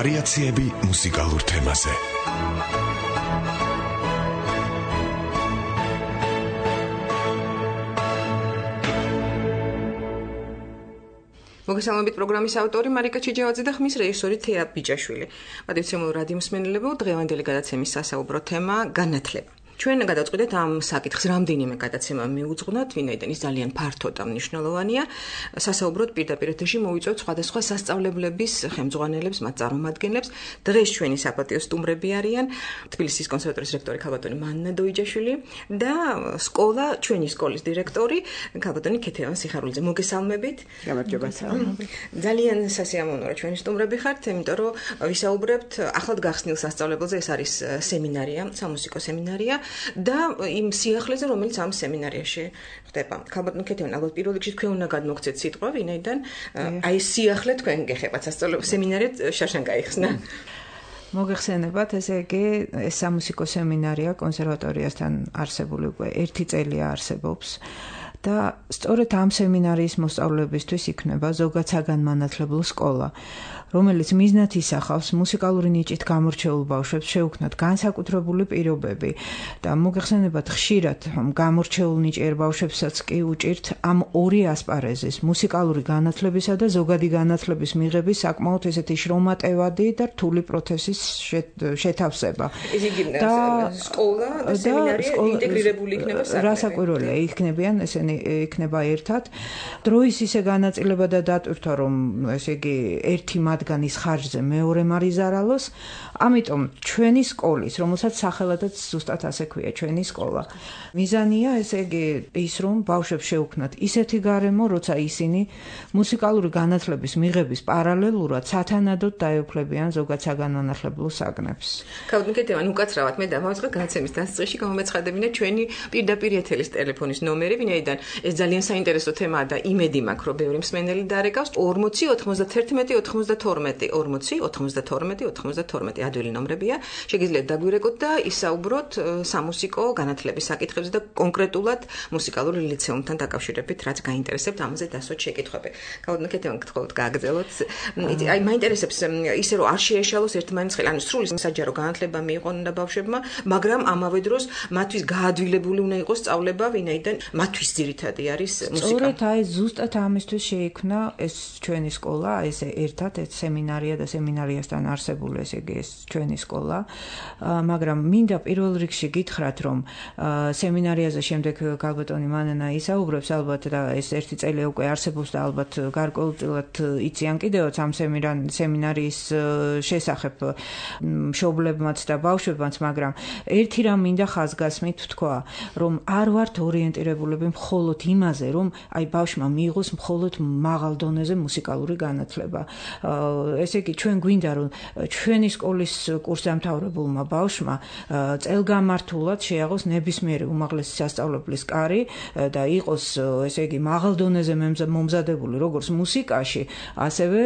ვარიაციები მუსიკალურ თემაზე. მოგესალმებით პროგრამის ავტორი მარიკა ჩიჯავაძე და ხმის რეჟისორი თეა ბიჭაშვილი. მადლობთ რადიო მსმენელებო, დღევანდელი გადაცემის სასაუბრო თემა განათლება. ჩვენ გადავწყვიტეთ ამ საკითხს რამდენიმე გადაცემა მიუძღვნათ, ვინაიდან ის ძალიან ფართო და მნიშვნელოვანია. სასაუბროდ პირდაპირ ეთერში მოვიწვევთ სხვადასხვა სასწავლებლების ხელმძღვანელებს, მათ წარმომადგენლებს. დღეს ჩვენი საპატიო სტუმრები არიან თბილისის კონსერვატორიის რექტორი ქალბატონი მანნა დოიჯაშვილი და ჩვენი სკოლის დირექტორი ქალბატონი ქეთევან სიხარულიძე. მოგესალმებით. გამარჯობა. ძალიან სასიამოვნოა ჩვენი სტუმრები ხართ, იმიტომ რომ ვისაუბრებთ ახლად გახსნილ სასწავლებელზე. ეს არის სემინარია, სამუსიკო სემინარია. და იმ სიახლეზე, რომელიც ამ სემინარიაში ხდება. ქალბატონი ქეთევან, ალბათ პირველ რიგში თქვენ უნდა გადმოგცეთ სიტყვა, ვინაიდან აი სიახლე თქვენ გეხებათ სასწავლებლო სემინარიად შარშან გაიხსნა. მოგეხსენებათ, ესე იგი, ეს სამუსიკო სემინარია კონსერვატორიასთან არსებული უკვე 1 წელია არსებობს. და სწორედ ამ სემინარიის მოსწავლეებისთვის იქნება ზოგად საგანმანათლებლო სკოლა, რომელიც მიზნად ისახავს მუსიკალური ნიჭით გამორჩეულ ბავშვებს შეუქმნათ განსაკუთრებული პირობები და მოგეხსენებათ, ხშირად გამორჩეულ ნიჭიერ ბავშვებსაც კი უჭირთ ამ ორი ასპარეზის, მუსიკალური განათლებისა და ზოგადი განათლების მიღების საკმაოდ ესეთი შრომატევადი და რთული პროცესის შეთავსება. ეს იგი სკოლა და სემინარია ინტეგრირებული იქნება საქმე. რასაკვირველია, იქნებიან ესენი იქნება ერთად. დროის ისე განაწილება და დატვირთვა, რომ ესე იგი ერთი მათგანის ხარჯზე მეორე მარიზარალოს, ამიტომ ჩვენი სკოლის, რომელსაც სახელადაც ზუსტად ასე ქვია ჩვენი სკოლა. მიზანია ესე იგი ის, რომ ბავშვებს შეუქმნათ ისეთი გარემო, როცა ისინი მუსიკალური განათლების მიღების პარალელურად სათანადოდ დაეუფლებიან ზოგად საგანმანათლებლო საგნებს. ქალბატონი ქეთევან, უკაცრავად მე დავაწყე განაცემის დასწრებში გამომეცხადებინა ჩვენი პირდაპირ ეთერის ტელეფონის ნომერი, ვინაიდან ეს ძალიან საინტერესო თემაა და იმედი მაქვს, რომ ბევრი მსმენელი დაარეკავს 40 91 92 40 92 92 ადვილი ნომრებია. შეგიძლიათ დაგვირეკოთ და ისაუბროთ სამუსიკო განათლების საკითხებზე და კონკრეტულად მუსიკალური ლიცეუმთან დაკავშირებით, რაც გაინტერესებთ, ამაზე დასვათ შეკითხვები. ქალბატონი ქეთევან, გთხოვთ გააგრძელოთ. აი მაინტერესებს ისე რომ არ შეეშალოს ერთმანეთს ხელი, ანუ სრული საჯარო განათლება მიიღონ და ბავშვებმა, მაგრამ ამავე დროს მათთვის გაადვილებული უნდა იყოს სწავლება, ვინაიდან მათთვის ძირითადი არის მუსიკა. სწორედ აი ზუსტად ამისთვის შეიქმნა ეს ჩვენი სკოლა, ეს ერთად ეს სემინარია და სემინარიასთან არსებული ესე იგი ეს ჩვენი სკოლა. მაგრამ მინდა პირველ რიგში გითხრათ, რომ სემინარიაზე შემდეგ ქალბატონი მანანა ისაუბრებს ალბათ და ეს 1 წელი უკვე არსებობს და ალბათ გარკვეულწილად იციან კიდევაც ამ სემინარიის შესახებ მშობლებმაც და ბავშვებმაც, მაგრამ ერთი რამ მინდა ხაზგასმით ვთქვა, რომ არ ვართ ორიენტირებულები მხოლოდ იმაზე, რომ აი ბავშვმა მიიღოს მხოლოდ მაღალ დონეზე მუსიკალური განათლება. ესე იგი, ჩვენ გვინდა, რომ ჩვენი სკოლის კურსდამთავრებულმა ბავშვმა წელგამართულად შეაღოს ნებისმიერი უმაღლესი სასწავლებლის კარი და იყოს, ესე იგი, მაღალ დონეზე მომზადებული როგორც მუსიკაში, ასევე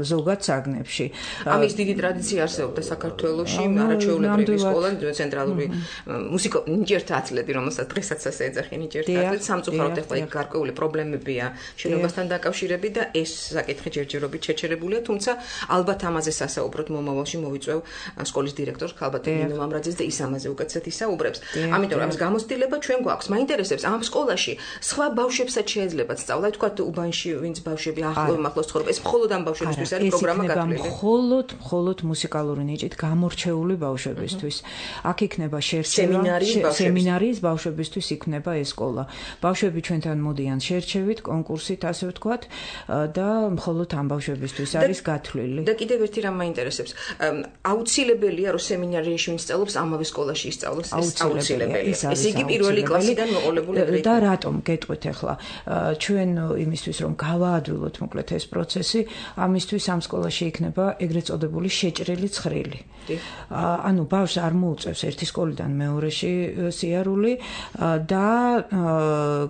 ზოგად საგნებში. ამის დიდი ტრადიცია არსებობდა საქართველოში, არაჩვეულებრივი სკოლა, ცენტრალური მუსიკო ნიჭიერთა ათლეტი, რომელსაც დღესაც ასე ეძახიან ნიჭიერთა ათლეტი, სამწუხაროდ ახლა იქ გარკვეული პრობლემებია შენობასთან დაკავშირებით და ეს საკითხი ჯერჯერობით შეჩერებულია, თუმცა ალბათ ამაზე სასაუბროთ მომავალში მოვიწვევ სკოლის დირექტორს ქალბატონ ნინო მამრაძეს და ის ამაზე უკეთესად ისაუბრებს. ამიტომ ამის გამოცდილება ჩვენ გვაქვს. მაინტერესებს ამ სკოლაში სხვა ბავშვებსაც შეეძლებათ სწავლა, თქვათ უბანში ვინც ბავშვები ახლოს ცხოვრობენ, ეს მხოლოდ ამ ბავშვებისთვის არის პროგრამა გათვლილი. მხოლოდ მუსიკალური ნიჭით გამორჩეული ბავშვებისთვის. აქ იქნება შერჩევა, სემინარიის ბავშვებისთვის იქნება ეს სკოლა. ბავშვები ჩვენთან მოდიან შერჩევით, კონკურსით, ასე ვთქვათ, და მხოლოდ ამ ბავშვებისთვის არის არის გათვლილი. და კიდევ ერთი რამ მაინტერესებს. აუცილებელია რომ სემინარიაში ვინც სწავლობს ამავე სკოლაში ისწავლოს, ეს აუცილებელია. ესე იგი პირველი კლასიდან მოყოლებული ეგრეთ. და რატომ გეტყვით ახლა ჩვენ იმისთვის რომ გავაადვილოთ მოკლედ ეს პროცესი, ამისთვის ამ სკოლაში იქნება ეგრეთ წოდებული შეჭრილი ცხრილი. ანუ ბავშვს არ მოუწევს ერთი სკოლიდან მეორეში სიარული და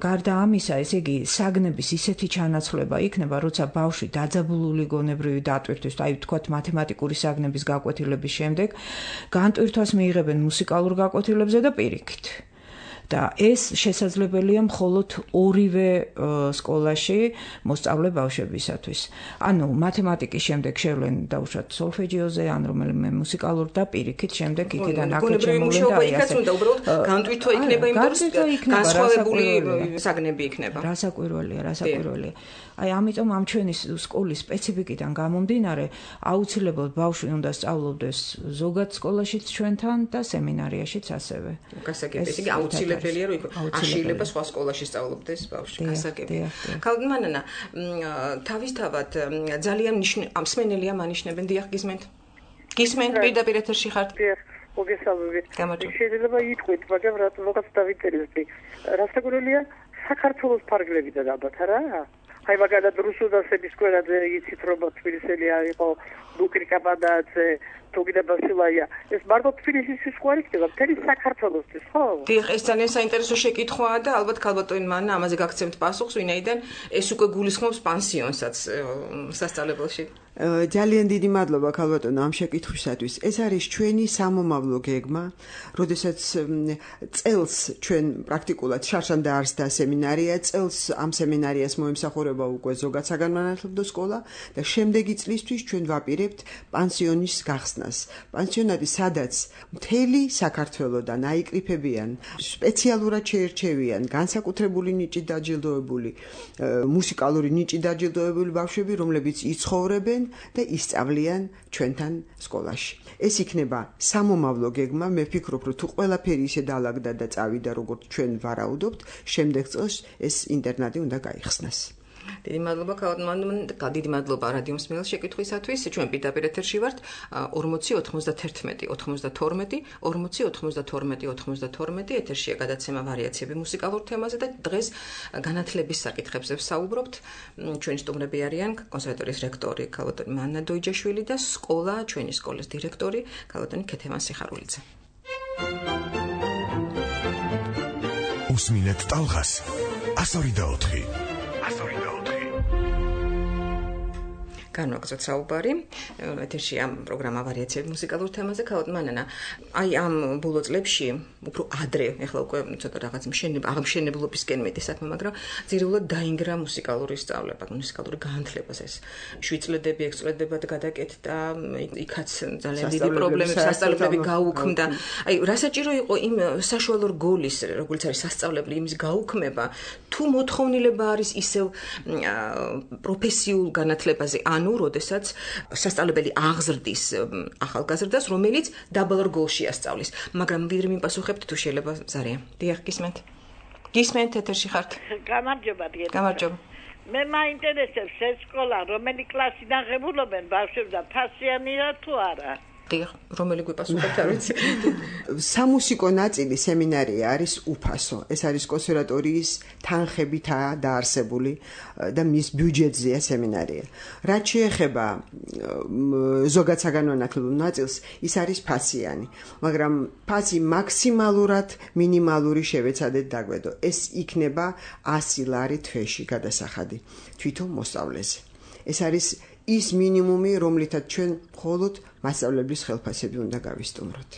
გარდა ამისა, ესე იგი საგნების ისეთი ჩანაცვლება იქნება, როცა ბავშვი დაძაბულული გონებრივი დატვირთვის, აი ვთქვათ მათემატიკური საგნების გაკვეთილების შემდეგ, განტვირთვას მიიღებენ მუსიკალურ გაკვეთილებზე და პირიქით. და ეს შესაძლებელია მხოლოდ ორივე სკოლაში მოსწავლე ბავშვებისათვის. ანუ მათემატიკის შემდეგ შევლენ დაუშვათ სოლფეჯიოზე, ან რომელიმე მუსიკალურ და პირიქით შემდეგ იქიდან აქეთ შემოვლენ და იქაც უნდა უბრალოდ განტვირთვა იქნება, იმიტომ განსხვავებული საგნები იქნება. რასაკვირველია. აი ამიტომ ამ ჩვენი სკოლის სპეციფიკიდან გამომდინარე, აუცილებლად ბავშვი უნდა სწავლობდეს ზოგად სკოლაშიც ჩვენთან და სემინარიაშიც ასევე. გასაგებია, იგი აუცილებელია რომ აშილება სხვა სკოლაში სწავლობდეს ბავშვი. გასაგებია. ქალბატონო, თავისთავად ძალიან მსმენელია მანიშნებენ, დიახ, გისმენთ? გისმენთ პირდაპირ ეთერში ხართ? დიახ, მოგესალმებით. შეიძლება იტყვით, მაგრამ რაღაც დავიწერეთ. რასაკვირველია, საქართველოს ფარგლებიდან ალბათ არა? აი მაგალითად რუსუდასების სკოლად იცით რომ თბილისელი იყო ლუკრი კაპადაძე თუგიდა ბასილაია ეს მარტო თბილისის სკოლა იქნება მთელი საქართველოსთვის ხო? დიახ, ეს ძალიან საინტერესო შეკითხვაა და ალბათ ქალბატონი მან ამაზე გაგცემთ პასუხს, ვინაიდან ეს უკვე გულისხმობს პანსიონსაც სასწავლებელში. ძალიან დიდი მადლობა ქალბატონო ამ შეკითხვისათვის. ეს არის ჩვენი სამომავლო გეგმა, როდესაც წელს ჩვენ პრაქტიკულად შარშან დაარსდა სემინარია, წელს ამ სემინარიას მოემსახურება უკვე ზოგად საგანმანათლებლო სკოლა და შემდეგი წლისთვის ჩვენ ვაპირებთ პანსიონის გახსნას. პანსიონატი სადაც მთელი საქართველოდან აიკრიფებიან, სპეციალურად შეერჩევიან, განსაკუთრებული ნიჭით დაჯილდოებული, მუსიკალური ნიჭით დაჯილდოებული ბავშვები, რომლებიც იცხოვრებენ და ისწავლიან ჩვენთან სკოლაში. ეს იქნება სამომავლო გეგმა, მე ვფიქრობ, რომ თუ ყველაფერი ისე დაალაგდა და წავიდა, როგორც ჩვენ ვარაუდობთ, შემდეგ წელს ეს ინტერნატი უნდა გაიხსნას. დიდი მადლობა ქალბატონო, დიდი მადლობა რადიო მსმენელს შეკითხვისათვის. ჩვენ პირდაპირ ეთერში ვართ 40 91 92 40 92 92 ეთერშია გადაცემა ვარიაციები მუსიკალურ თემაზე და დღეს განათლების საკითხებზე ვსაუბრობთ. ჩვენი სტუმრები არიან კონსერვატორიის რექტორი ქალბატონი მანნა დოიჯაშვილი და სკოლა, ჩვენი სკოლის დირექტორი ქალბატონი ქეთევან სიხარულიძე. უსმინეთ ტალღას 104 განვაგრძოთ საუბარი. ეთერში ამ პროგრამა ვარიაციები მუსიკალურ თემაზე. ქალბატონი მანანა, აი ამ ბოლო წლებში, უფრო ადრე, ეხლა უკვე ცოტა რაღაც აღმშენებლობისკენ მეტი საქმე, მაგრამ ძირეულად დაინგრა მუსიკალური სწავლება, მუსიკალური განათლებას ეს 7 წლები, 6 წლებად გადაკეთდა, იქაც ძალიან დიდი პრობლემები სასწავლებლები გაუქმდა. აი, რა საჭირო იყო იმ საშუალო რგოლის, როგორც არის სასწავლებელი, იმის გაუქმება, თუ მოთხოვნილება არის ისევ პროფესიულ განათლებაზე, ანუ როდესაც სასწავლებელი აღზრდის ახალგაზრდას, რომელიც დაბალ რგოლში ასწავლის. მაგრამ ვიდრე მიპასუხებთ თუ შეიძლება ზარია. დიახ, გისმენთ? გისმენთ ეთერში ხართ? გამარჯობა, დიახ. გამარჯობა. მე მაინტერესებს ეს სკოლა, რომელი კლასიდან ღებულობენ ბავშვებს და ფასიანია თუ არა? დიახ, რომელი გვიპასუხებთ არ ვიცი. სამუსიკო ნაწილი სემინარია არის უფასო. ეს არის კონსერვატორიის თანხებითაა დაარსებული და მის ბიუჯეტზეა სემინარია. რაც შეეხება ზოგად საგანმანათლებლო ნაწილს, ის არის ფასიანი, მაგრამ ფასი მაქსიმალურად მინიმალური შევეცადეთ დაგვედო. ეს იქნება 100 ლარი თვეში გადასახადი თვითონ მოსწავლეზე. ეს არის ის მინიმუმი, რომლითაც ჩვენ მხოლოდ მასწავლებლის ხელფასები უნდა გავისტუმროთ.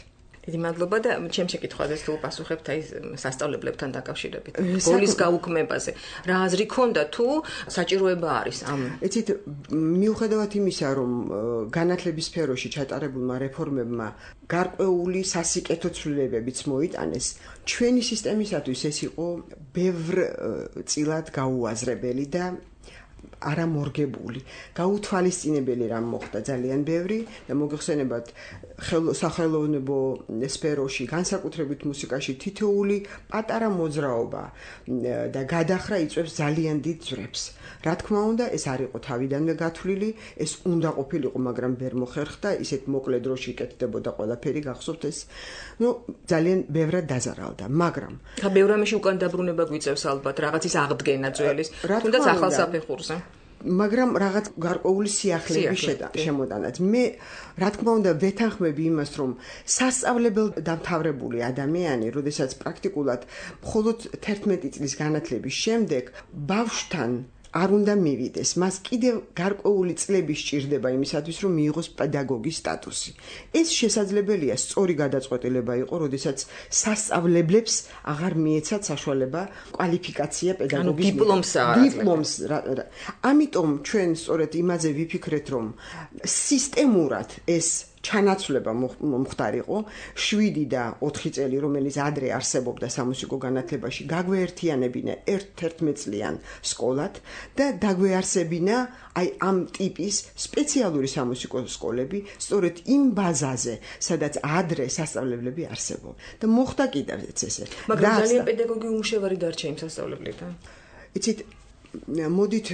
დიდი მადლობა და ჩემ შეკითხვაზე თუ პასუხებთ აი სასწავლებლებთან დაკავშირებით. გოლის გაუქმებაზე. რა აზრი ქონდა თუ საჭიროება არის ამ? იცით, მიუხედავად იმისა, რომ განათლების სფეროში ჩატარებულმა რეფორმებმა გარკვეული სასიკეთო ცვლილებებიც მოიტანეს, ჩვენი სისტემისათვის ეს იყო ბევრ წილად გაუაზრებელი და არამორგებული, გაუთვალისწინებელი რამ მოხდა ძალიან ბევრი და მოგეხსენებათ სახელოვნებო სფეროში, განსაკუთრებით მუსიკაში თითოეული პატარა მოძრაობა და გადახრა იწვევს ძალიან დიდ ძვრებს. რა თქმა უნდა, ეს არ იყო თავიდანვე გათვლილი, ეს უნდა ყოფილიყო, მაგრამ ვერ მოხერხდა, ისეთ მოკლე დროში იკეთდებოდა ყველაფერი, გახსოვთ ეს. ძალიან ბევრად დაზარალდა, მაგრამ ბევრ ამაში უკან დაბრუნება გვიწევს ალბათ, რაღაცის აღდგენა ძველის, თუნდაც ახალ საფეხურზე. მაგრამ რაღაც გარკვეული სიახლეების შემოტანაც. მე რა თქმა უნდა ვეთანხმები იმას, რომ სასწავლებელ დამთავრებული ადამიანი, როდესაც პრაქტიკულად მხოლოდ 11 წლის განათლების შემდეგ ბავშვთან არ უნდა მივიდეს, მას კიდევ გარკვეული წლები სჭირდება იმისათვის, რომ მიიღოს პედაგოგის სტატუსი. ეს შესაძლებელია სწორი გადაწყვეტილება იყო, როდესაც სასწავლებლებს აღარ მიეცათ საშუალება კვალიფიკაცია პედაგოგის დიპლომს. ამიტომ ჩვენ სწორედ იმაზე ვიფიქრეთ, რომ სისტემურად ეს ჩანაცვლება მომხდარიყო 7 და 4 წელი, რომელიც ადრე არსებობდა სამუსიკო განათლებაში, გაგვეერთიანებინა 11 წლიან სკოლად და დაგვეარსებინა აი ამ ტიპის სპეციალური სამუსიკო სკოლები, სწორედ იმ ბაზაზე, სადაც ადრე სასწავლებლები არსებობდა. და მოხდა კიდევაც ესე. მაგრამ ძალიან პედაგოგი უმშევარი დარჩა იმ სასწავლებლებთან. იცით, მოდით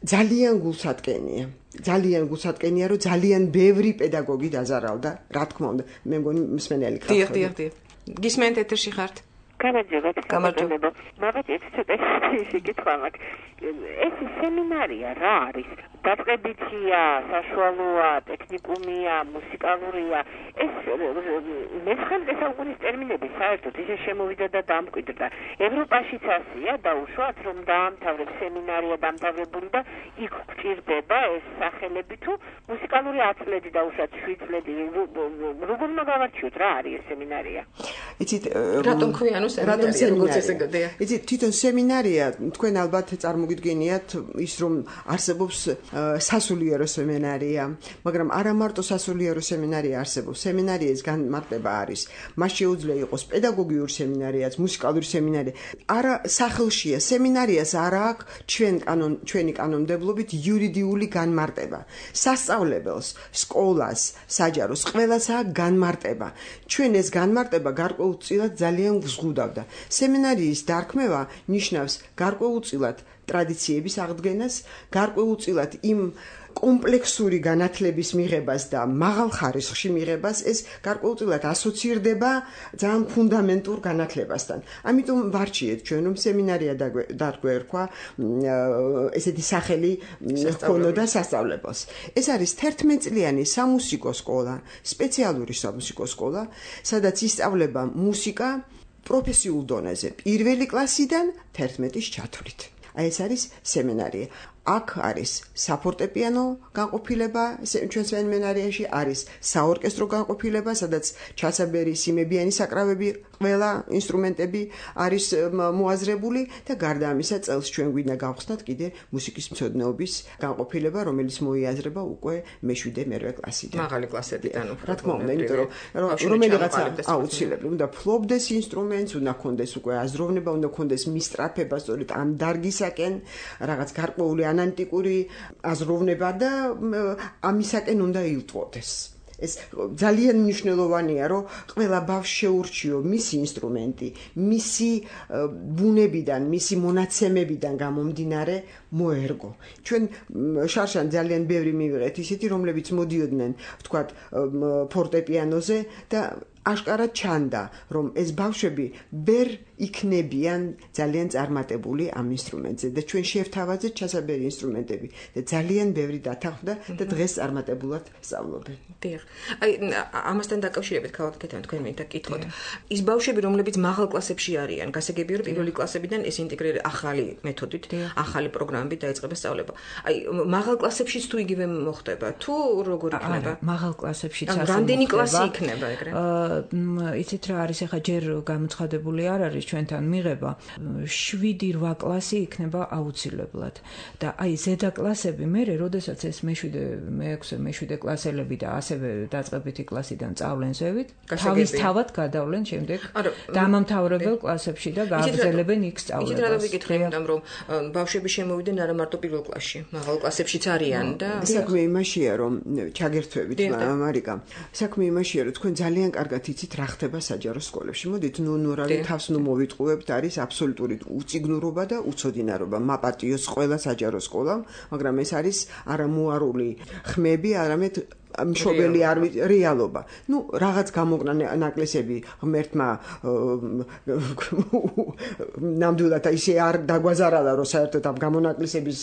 ძალიან გულსატკენია, რომ ძალიან ბევრი პედაგოგი დაზარალდა, რა თქმა უნდა, მე მგონი მსმენელი ქართველი. დიახ. გისმენთ ეთერში ხართ? გამარჯობა. მაგათ ეს ცოტა შეკითხვა მაქვს. ეს სემინარია რა არის? დაწყებითია, საშუალოა, ტექნიკუმია, მუსიკალურია. ეს მე-19 საუკუნის ტერმინები საერთოდ ისე შემოვიდა და დამკვიდრდა. ევროპაშიც ასია, დაუშვათ, რომ დაამთავრებს სემინარია დამთავრებული და იქ გვჭირდება ეს სახელები თუ მუსიკალური 10 წლები დაუშვათ 7 წლები. როგორ მოგავარჩიოთ რა არის ეს სემინარია? იცით, რატომ ქვია სემინარია, როგორც ესე გადია? იცით, თვითონ სემინარია, თქვენ ალბათ წარმოგიდგენიათ ის, რომ არსებობს სასულიერო სემინარია, მაგრამ არა მარტო სასულიერო სემინარია არსებობს. სემინარიის განმარტება არის. მას შეუძლია იყოს პედაგოგიური სემინარიაც, მუსიკალური სემინარია. არა სახელშია, სემინარიას არა აქვს ჩვენი კანონმდებლობით იურიდიული განმარტება. სასწავლებელს, სკოლას, საჯაროს ყველას აქვს განმარტება. ჩვენ ეს განმარტება გარკვეულწილად ძალიან გვზღუდავდა. სემინარიის დარქმევა ნიშნავს გარკვეულწილად ტრადიციების აღდგენას, გარკვეულწილად იმ კომპლექსური განათლების მიღებას და მაღალ ხარისხში მიღებას, ეს გარკვეულწილად ასოცირდება ძალიან ფუნდამენტურ განათლებასთან. ამიტომ ვარჩიეთ ჩვენ, რომ სემინარია დაგვერქვა ესეთი სახელი ჰქონოდა სასწავლებელს. ეს არის 11 წლიანი სამუსიკო სკოლა, სპეციალური სამუსიკო სკოლა, სადაც ისწავლება მუსიკა პროფესიულ დონეზე, პირველი კლასიდან 11-ის ჩათვლით. აი ეს არის სემინარია. აქ არის საფორტეპიანო განყოფილება, ჩვენ სემინარიაში არის საორკესტრო განყოფილება, სადაც ჩასაბერი, სიმებიანი საკრავები, ყველა ინსტრუმენტები არის მოაზრებული და გარდა ამისა წელს ჩვენ გვინდა გავხსნათ კიდე მუსიკის მცოდნეობის განყოფილება, რომელიც მოიაზრება უკვე მე-7-მე-8 კლასიდან. მაღალი კლასებიდან უფრო. რა თქმა უნდა, იმიტომ რომ რომელიღაცა აუცილებლად უნდა ფლობდეს ინსტრუმენტს, უნდა ქონდეს უკვე აზროვნება, უნდა ქონდეს მისწრაფება, სწორედ ამ დარგისაკენ რაღაც გარკვეული ანტიკური აზროვნება და ამისაკენ უნდა ილტვოდეს. ეს ძალიან მნიშვნელოვანია, რომ ყველა ბავშვს შეურჩიო მისი ინსტრუმენტი, მისი ბუნებიდან, მისი მონაცემებიდან გამომდინარე მოერგო. ჩვენ შარშან ძალიან ბევრი მივიღეთ ისეთი, რომლებიც მოდიოდნენ, ვთქვათ, ფორტეპიანოზე და აშკარად ჩანდა, რომ ეს ბავშვები ვერ იქნებიან ძალიან წარმატებული ამ ინსტრუმენტზე და ჩვენ შევთავაზეთ ჩასაბერი ინსტრუმენტები და ძალიან ბევრი დათანხმდა და დღეს წარმატებულად სწავლობენ. დიახ. აი ამასთან დაკავშირებით ქალაქეთთან თქვენ მინდა კითხოთ. ის ბავშვები, რომლებიც მაღალ კლასებში არიან, გასაგებია, რომ პირველი კლასებიდან ეს ინტეგრირება ახალი მეთოდით, ახალი პროგრამებით დაიწყება სწავლება. აი მაღალ კლასებშიც თუ იგივე მოხდება, თუ როგორ იქნება? მაღალ კლასებშიც ასე. რამდენი კლასი იქნება ეგრე? იცით რა არის ახლა ჯერ გამოცხადებული არ არის ჩვენთან მიღება 7-8 კლასი იქნება აუცილებლად და აი ზედა კლასები მერე როდესაც ეს მე-6 კლასელები და ასევე დაწყებითი კლასიდან წავლენ ზევით თავისთავად გადავლენ შემდეგ დამამთავრებელ კლასებში და გააგრძელებენ იქ სწავლებას. იცით რა დავიკითხე, იმიტომ რომ ბავშვები შემოვიდნენ არა მარტო პირველ კლასში, მაღალ კლასებშიც არიან და საქმე იმაშია რომ ჩაგერთვებით მარიკა. საქმე იმაშია რომ თქვენ ძალიან კარგად იცით რა ხდება საჯარო სკოლებში. მოდით ნურავი თავს მოვიტყუებთ, არის აბსოლუტური უციგნურობა და უცოდინარობა. მაპატიოს ყველა საჯარო სკოლამ, მაგრამ ეს არის არამოარული ხმები, არამედ მშობელი არ რეალობა. ნუ რაღაც გამოგნა ნაკლისები ღმერთმა ნამდვილად ისე არ დაგვაზარალა რომ საერთოდ ამ გამონაკლისების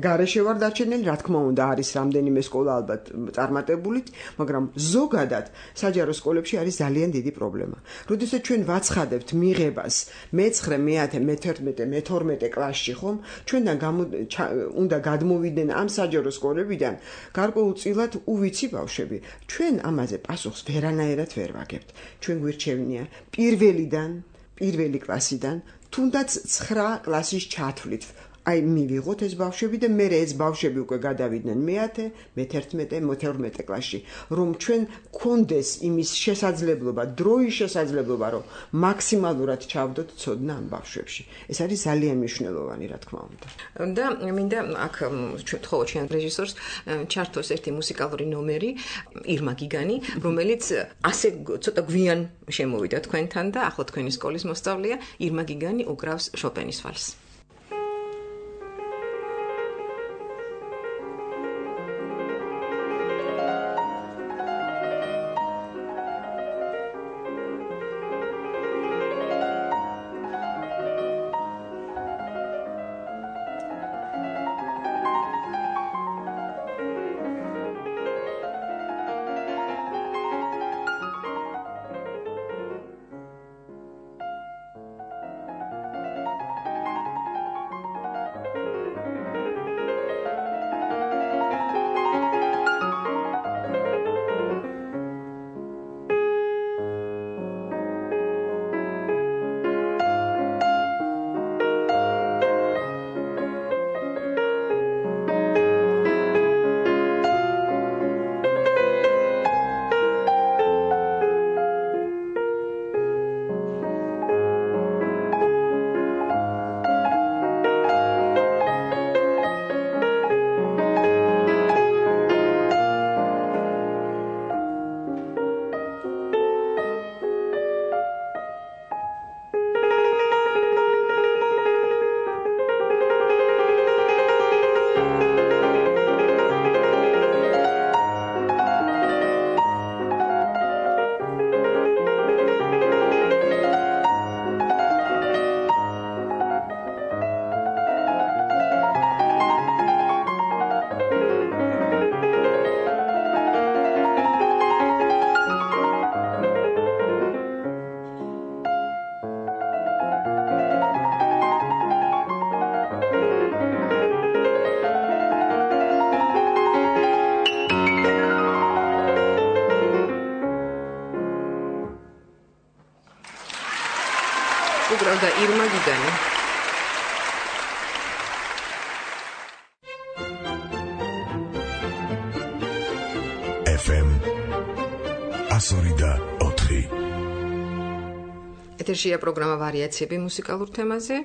გარეშე ვარ დარჩენილი, რა თქმა უნდა არის რამდენიმე სკოლა ალბათ წარმატებული, მაგრამ ზოგადად საჯარო სკოლებში არის ძალიან დიდი პრობლემა. როდესაც ჩვენ ვაცხადებთ მიღებას მე-9, მე-10, მე-11, მე-12 კლასში ხომ, ჩვენთან უნდა გადმოვიდნენ ამ საჯარო სკოლებიდან გარკვეულწილად უვიცი ბავშვები. ჩვენ ამაზე პასუხს ვერანაირად ვერ ვაგებთ. ჩვენ გვირჩევნია პირველი კლასიდან თუნდაც 9 კლასის ჩათვლით. აი მივიღოთ ეს ბავშვები და მე ეს ბავშვები უკვე გადავიდნენ მე-10, მე-11, მე-12 კლასში, რომ ჩვენ გქონდეს იმის შესაძლებლობა, დროის შესაძლებლობა, რომ მაქსიმალურად ჩავდოთ ცოდნა ამ ბავშვებში. ეს არის ძალიან მნიშვნელოვანი, რა თქმა უნდა. და მინდა აქ ვთხოვოთ ჩვენ რეჟისორს ჩართოს ერთი მუსიკალური ნომერი, ირმა გიგანი, რომელიც ასე ცოტა გვიან შემოვიდა თქვენთან და ახლა თქვენი სკოლის მოსწავლეა, ირმა გიგანი უკრავს შოპენის ვალსს. უკრავდა ირმა გიგანი. FM 104. ეთერშია პროგრამა ვარიაციები მუსიკალურ თემაზე.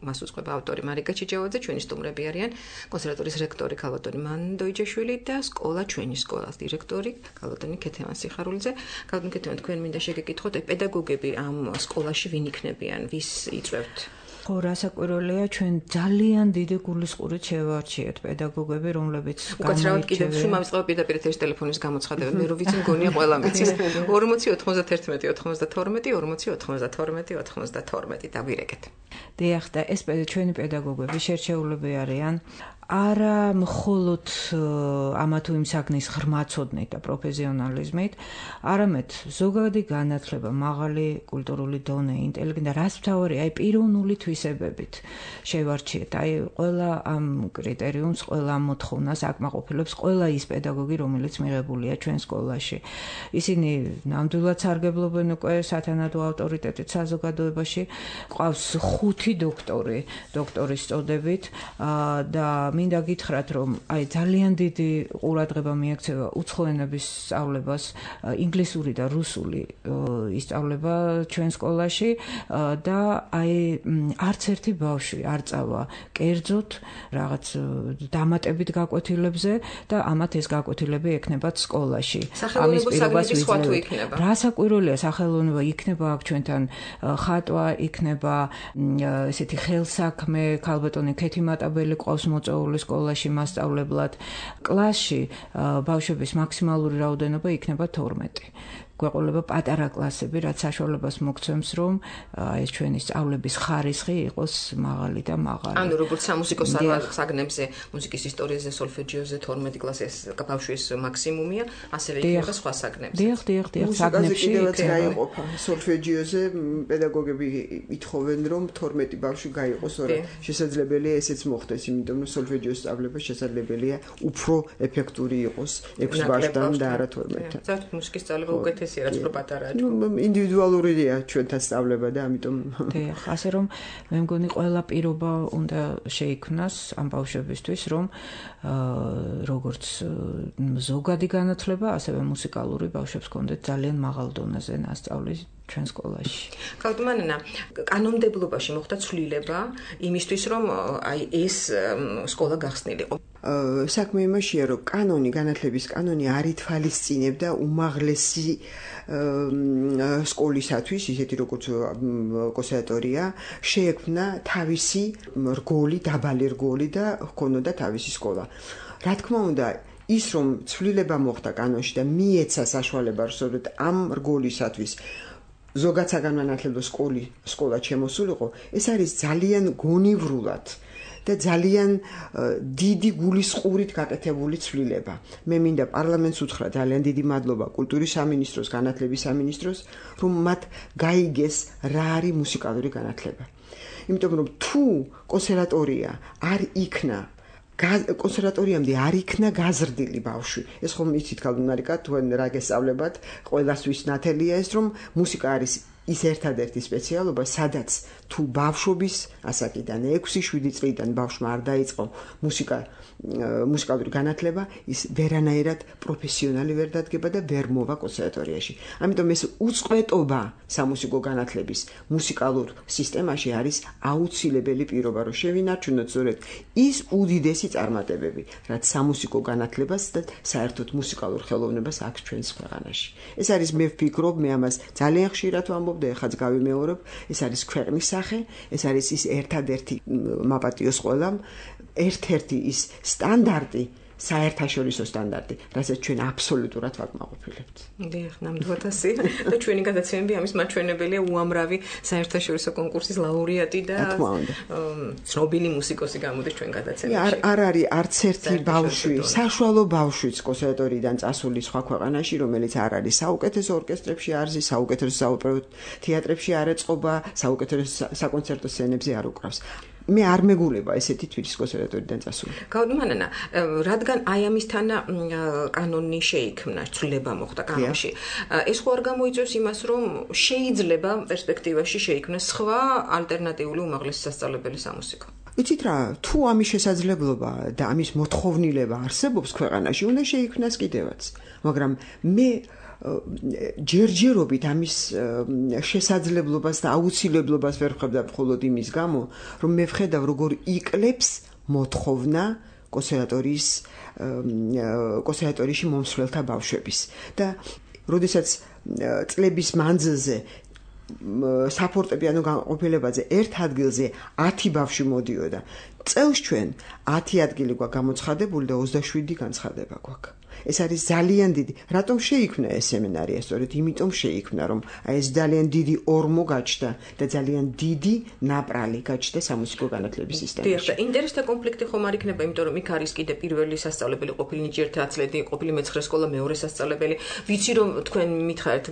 მას უწყება ავტორი მარიკა ჩიჯავაძე, ჩვენი სტუმრები არიან კონსერვატორიის რექტორი ქალბატონი მანდოიჯაშვილი და სკოლა ჩვენი სკოლას დირექტორი ქალბატონი ქეთევან სიხარულიძე. ქალბატონი ქეთევან, თქვენ მინდა შეგეკითხოთ, პედაგოგები ამ სკოლაში ვინ იქნებიან, ვის იწვევთ? ხო, რასაკვირველია, ჩვენ ძალიან დიდი გულისყურით შევარჩიეთ პედაგოგები, რომლებიც უკაცრავად კიდევ შუმ ამწყება პირდაპირ ეთერის ტელეფონის გამოცხადება, მე რო ვიცი მგონია ყველა მიცის 40 91 92 40 92 92 დავირეკეთ. დიახ, და ეს ჩვენი პედაგოგები შერჩეულები არიან არა მხოლოდ ამა თუ იმ საქმის ღრმაცოდნით და პროფესიონალიზმით, არამედ ზოგადი განათლება, მაღალი კულტურული დონე, ინტელექტი და რაც მთავარი, აი პიროვნული თვისებებით შევარჩიეთ. აი ყველა ამ კრიტერიუმს, ყველა ამ მოთხოვნას აკმაყოფილებს ყველა ის პედაგოგი, რომელიც მიღებულია ჩვენ სკოლაში. ისინი ნამდვილად სარგებლობენ უკვე სათანადო ავტორიტეტით საზოგადოებაში. ყავს 5 დოქტორის წოდებით და მინდა გითხრათ, რომ აი ძალიან დიდი ყურადღება მიექცევა უცხო ენების სწავლებას, ინგლისური და რუსული ისწავლება ჩვენ სკოლაში და აი არც ერთი ბავშვი არ წავა კერძოდ რაღაც დამატებით გაკვეთილებზე და ამათ ეს გაკვეთილები ექნებათ სკოლაში. ამის პირობას ვიძლევთ. რასაკვირველია, სახელოვნება იქნება აქ ჩვენთან ხატვა, იქნება ესეთი ხელსაქმე, ქალბატონი ქეთი მატაბელი ყავს მოწვეული სკოლაში მასწავლებლად. კლასში ბავშვების მაქსიმალური რაოდენობა იქნება 12. გვეყოლება პატარა კლასები, რაც საშუალებას მოგცემს, რომ ეს ჩვენი სწავლების ხარისხი იყოს მაღალი და მაღალი. ანუ როგორც სამუსიკო საგნებზე, მუსიკის ისტორიაზე, სოლფეჯიოზე 12 კლასის ბავშვის მაქსიმუმია, ასევე იქნება სხვა საგნებზე. დიახ, საგნებში კიდევაც გაიყოფა. სოლფეჯიოზე პედაგოგები ითხოვენ, რომ 12 ბავშვი გაიყოს, რომ შესაძლებელია ესეც მოხდეს, იმიტომ რომ სოლფეჯიოს სწავლება შესაძლებელია უფრო ეფექტური იყოს 6 ბავშვთან და არა 12-თან. ზოგადად მუსიკის სწავლება უკეთესია, რაც უფრო პატარაა. ინდივიდუალურია ჩვენთან სწავლება და ამიტომ დიახ, ასე რომ მე მგონი ყველა პირობა უნდა შეიქმნას ამ ბავშვებისთვის, რომ როგორც ზოგადი განათლება, ასევე მუსიკალური ბავშვებს ჰქონდეთ ძალიან მაღალ დონეზე ნასწავლი ჩვენ სკოლაში. კალტმანენა, კანონმდებლობაში მოხდა ცვლილება იმისთვის, რომ აი ეს სკოლა გახსნილიყო. საქმე იმაშია, რომ განათლების კანონი არ ითვალისწინებდა უმაღლესი სკოლისათვის, ისეთი როგორც კონსერვატორია, შეექმნა თავისი რგოლი, დაბალი რგოლი და ჰქონოდა თავისი სკოლა. რა თქმა უნდა, ის რომ ცვლილება მოხდა კანონში და მიეცა საშუალება, რომ ამ რგოლისათვის ზოგად საგანმანათლებლო სკოლა შემოსულიყო, ეს არის ძალიან გონივრულად და ძალიან დიდი გულისყურით გაკეთებული ცვლილება. მე მინდა პარლამენტს უთხრა ძალიან დიდი მადლობა კულტურის სამინისტროს, განათლების სამინისტროს, რომ მათ გაიგეს რა არის მუსიკალური განათლება. იმიტომ რომ თუ კონსერვატორია არ იქნა კონსერვატორიამდე არ იქნა გაზრდილი ბავშვი. ეს ხომ იცით კალდუნარიკა, თუ რა გესწავლებათ, ყველასთვის ნათელია ეს, რომ მუსიკა არის ის ერთადერთი სპეციალობა, სადაც თუ ბავშვობის ასაკიდან 6-7 წლიდან ბავშვმა არ დაიწყო მუსიკალური განათლება, ის ვერანაირად პროფესიონალი ვერ დადგება და ვერ მოვა კონსერვატორიაში. ამიტომ ეს უწყვეტობა სამუსიკო განათლების მუსიკალურ სისტემაში არის აუცილებელი პირობა, რომ შევინარჩუნოთ სწორედ ის უდიდესი წარმატებები, რაც სამუსიკო განათლებას და საერთოდ მუსიკალურ ხელოვნებას აქვს ჩვენს ქვეყანაში. ეს არის, მე ვფიქრობ, მე ამას ძალიან ხშირად ვამბობ და ეხაც გავიმეორებ, ეს არის ქვეყნის სახე, ეს არის ის ერთადერთი მაპატიოს ყველამ, ერთ-ერთი ის სტანდარტი, საერთაშორისო სტანდარტი, რასაც ჩვენ აბსოლუტურად ვაკმაყოფილებთ. დიახ, ნამდვილად ასე. და ჩვენი გადაცემები ამის მაჩვენებელია, უამრავი საერთაშორისო კონკურსის ლაურეატი და ცნობილი მუსიკოსი გამოდის ჩვენ გადაცემებში. არ არის არც ერთი ბავშვი, საშუალო ბავშვიც კონსერვატორიიდან წასული სხვა ქვეყანაში, რომელიც არ არის საუკეთესო ორკესტრებში არ ზის, საუკეთესო საოპერო თეატრებში არ ეწყობა, საუკეთესო საკონცერტო სცენებზე არ უკრავს. მე არ მეგულება ესეთი თვითის კონსერვატორიდან წასული. გაუდმანანა, რადგან აი ამისთან კანონი შეიქმნა, ცვლილება მოხდა კანონში. ეს ხო არ გამოიწვევს იმას, რომ შეიძლება პერსპექტივაში შეიქმნას სხვა ალტერნატიული უმაღლესი სასწავლებელი სამუსიკო. იცით რა, თუ ამის შესაძლებლობა და ამის მოთხოვნილება არსებობს ქვეყანაში, უნდა შეიქმნას კიდევაც. მაგრამ მე ჯერჯერობით ამის შესაძლებლობას და აუცილებლობას ვერ ვხედავ მხოლოდ იმის გამო, რომ მე ვხედავ როგორ იკლებს მოთხოვნა კონსერვატორიაში მომსვლელთა ბავშვების და როდესაც წლების მანძილზე საფორტეპიანო განყოფილებაზე ერთ ადგილზე 10 ბავშვი მოდიოდა. წელს ჩვენ 10 ადგილი გვაქვს გამოცხადებული და 27 განცხადება გვაქვს. ეს არის ძალიან დიდი. რატომ შეიქმნა ეს სემინარია? სწორედ იმიტომ შეიქმნა, რომ აი ეს ძალიან დიდი ორმო გაჩნდა და ძალიან დიდი ნაპრალი გაჩნდა სამუსიკო განათლების სისტემაში. დიახ, ინტერესთა კონფლიქტი ხომ არ იქნება, იმიტომ რომ იქ არის კიდე პირველი სასწავლებელი, ყოფილი ნიჭიერთა ათლეტი, ყოფილი მეცხრე სკოლა, მეორე სასწავლებელი. ვიცი რომ თქვენ მითხარით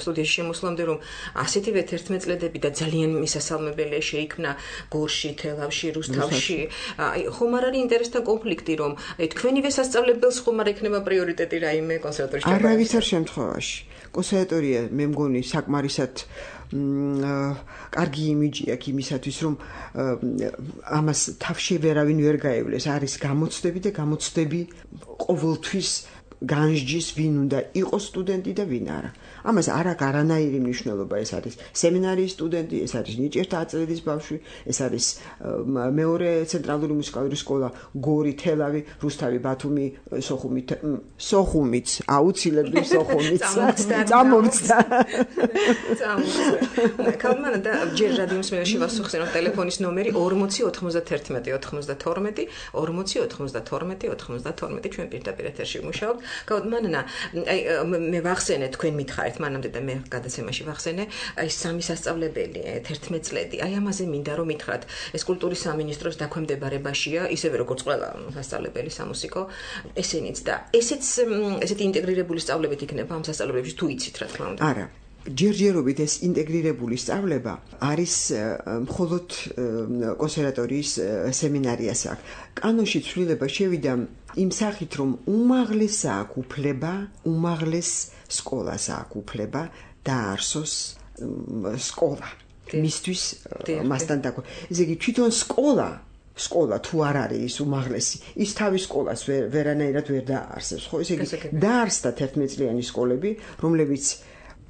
სტუდიაში შემოსვლამდე რომ ასეთივე 11 წლედები და ძალიან მისასალმებელი შეიქმნა გორში, თელავში, რუსთავში. აი ხომ არ არის ინტერესთა კონფლიქტი რომ აი თქვენივე სასწავლებელს ხომ არ ექნება პრიორიტეტი რაიმე კონსერვატორიაში? არავითარ შემთხვევაში. კონსერვატორია მე მგონი საკმარისად კარგი იმიჯი აქვს იმისათვის რომ ამას თავში ვერავინ ვერ გაევლეს. არის გამოცდები და გამოცდები ყოველთვის განსჯის ვინ უნდა იყოს სტუდენტი და ვინ არა. ამას არ აქვს არანაირი მნიშვნელობა. ეს არის სემინარიის სტუდენტი, ეს არის ნიჭიერთა ათლეტის ბავშვი, ეს არის მეორე ცენტრალური მუსიკალური სკოლა, გორი, თელავი, რუსთავი, ბათუმი, სოხუმიც, აუცილებლად სოხუმიც. წამოვწდა. კალმანა და ჯერ რადიო მსმენელში ვასახსენებ ტელეფონის ნომერი 40 91 92 40 92 92 ჩვენ პირდაპირ ეთერში ვმუშაობთ. კალმანა, აი მე ვახსენე თქვენ მითხარით მანამდე და მე გადაცემაში ვახსენე აი სამი სასწავლებელი 11 წლედი. აი ამაზე მინდა რომ მითხრათ, ეს კულტურის სამინისტროს დაქვემდებარებაშია, ისევე როგორც ყველა სასწავლებელი სამუსიკო, ესენიც და ესეთი ინტეგრირებული სწავლებით იქნება ამ სასწავლებელებში თუ იცით რა თქმა უნდა. არა. ჯერჯერობით ეს ინტეგრირებული სწავლება არის მხოლოდ კონსერვატორიის სემინარიას აქვს. კანონში ცვლილება შევიდა იმ სახით, რომ უმაღლეს აქვს უფლება, უმაღლეს სკოლას აქვს უფლება დაარსოს სკოლა. მისთვის მასთან დაკავშირებით. ესე იგი თვითონ სკოლა თუ არ არის ის უმაღლესი, ის თავის სკოლას ვერანაირად ვერ დაარსებს, ხო? ესე იგი დაარსდა 11 წლიანი სკოლები, რომლებიც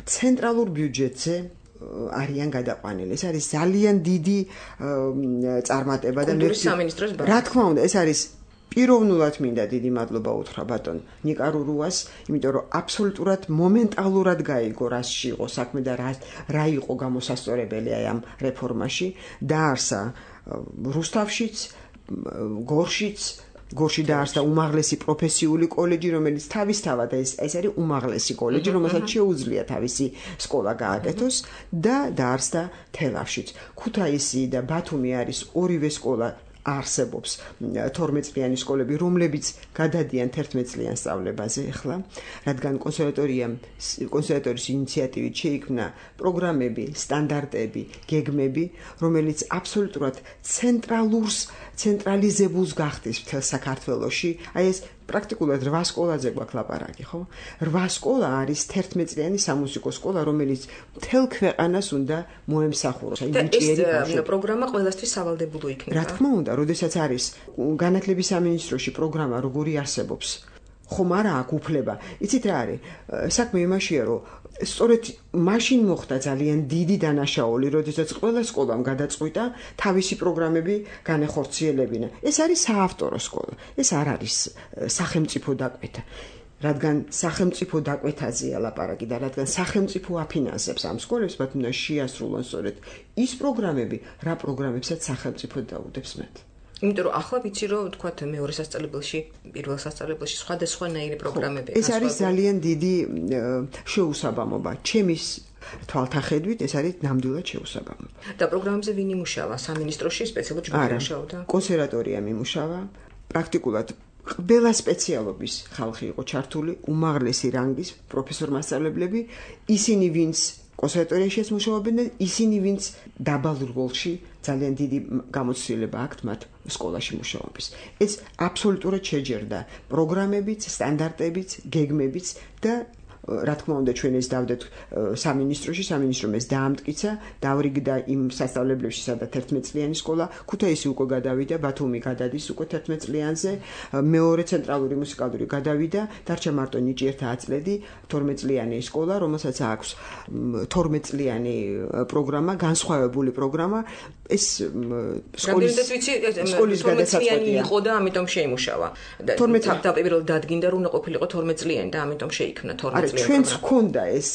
ცენტრალურ ბიუჯეტზე არიან გადაყვანილი. ეს არის ძალიან დიდი წარმატება და კულტურის სამინისტროს რა თქმა უნდა, ეს არის პიროვნულად მინდა დიდი მადლობა უთხრა ბატონ ნიკარურუას, იმიტომ რომ აბსოლუტურად მომენტალურად გაიგო რასში იყო საქმე და რა იყო გამოსასწორებელი აი ამ რეფორმაში. დაარსა რუსთავშიც, გორში დაარსდა უმაღლესი პროფესიული კოლეჯი, რომელიც თავისთავად ეს არის უმაღლესი კოლეჯი, რომელსაც შეუძლია თავისი სკოლა გააკეთოს და დაარსდა თელავშიც. ქუთაისი და ბათუმი არის ორივე სკოლა არსებობს 12 წლიანი სკოლები, რომლებიც გადადიან 11 წლიან სწავლებაზე ახლა, რადგან კონსერვატორიის ინიციატივით შეიქმნა პროგრამები, სტანდარტები, გეგმები, რომელიც აბსოლუტურად ცენტრალიზებულს გახდის მთელ საქართველოში. აი ეს პრაქტიკულად 8 სკოლაზე გვაქვს ლაპარაკი, ხო? 8 სკოლა არის 11 წლიანი სამუსიკო სკოლა, რომელიც მთელ ქვეყანას უნდა მოემსახუროს. აი ნიჭიერი პროგრამა ყველასთვის სავალდებულო იქნება. რა თქმა უნდა, როდესაც არის განათლების სამინისტროში პროგრამა, როგორი არსებობს, ხომ არა აქვს უფლება. იცით რა არის? საქმე იმაშია, რომ სწორედ მაშინ მოხდა ძალიან დიდი დანაშაული, როდესაც ყველა სკოლამ გადაწყვიტა თავისი პროგრამები განეხორციელებინა. ეს არის საავტორო სკოლა. ეს არ არის სახელმწიფო დაკვეთა. რადგან სახელმწიფო დაკვეთაზეა ლაპარაკი და რადგან სახელმწიფო აფინანსებს ამ სკოლებს, მათ უნდა შეასრულონ სწორედ ის პროგრამები, რა პროგრამებსაც სახელმწიფო დაუდებს მათ. იმიტომ რომ ახლა ვიცი რომ თქვათ მეორე სასწავლებელში, პირველ სასწავლებელში სხვადასხვანაირი პროგრამები. ეს არის ძალიან დიდი შეუსაბამობა. ჩემის თვალთახედვით ეს არის ნამდვილად შეუსაბამობა. და პროგრამებზე ვინ იმუშავა? სამინისტროში სპეციალურად ჯგუფი იმუშავა? კონსერვატორია იმუშავა. პრაქტიკულად ყველა სპეციალობის ხალხი იყო ჩართული, უმაღლესი რანგის პროფესორ-მასწავლებლები, ისინი ვინც კონსერვატორიაშიც მუშაობენ და ისინი ვინც დაბალ რგოლში ძალიან დიდი გამოცდილება აქვთ მათ სკოლაში მუშაობის. ეს აბსოლუტურად შეჯერდა პროგრამებიც, სტანდარტებიც, გეგმებიც და რა თქმა უნდა ჩვენ ეს დავდეთ სამინისტროში, სამინისტრომ ეს დაამტკიცა, დავრიგდა იმ სასწავლებლებში, სადაც 11 წლიანი სკოლა, ქუთაისი უკვე გადავიდა, ბათუმი გადადის უკვე 11 წლიანზე, მეორე ცენტრალური მუსიკალური გადავიდა, დარჩა მარტო ნიჭიერთა ათლეტი, 12 წლიანი სკოლა, რომელსაც აქვს 12 წლიანი პროგრამა, განსხვავებული პროგრამა, ეს სკოლის გადაწყვეტი იყო და ამიტომ შეიმუშავა. 12 თავდაპირველად დადგინდა, რომ უნდა ყოფილიყო 12 წლიანი და ამიტომ შეიქმნა 12 წლიანი. ჩვენც გვქონდა ეს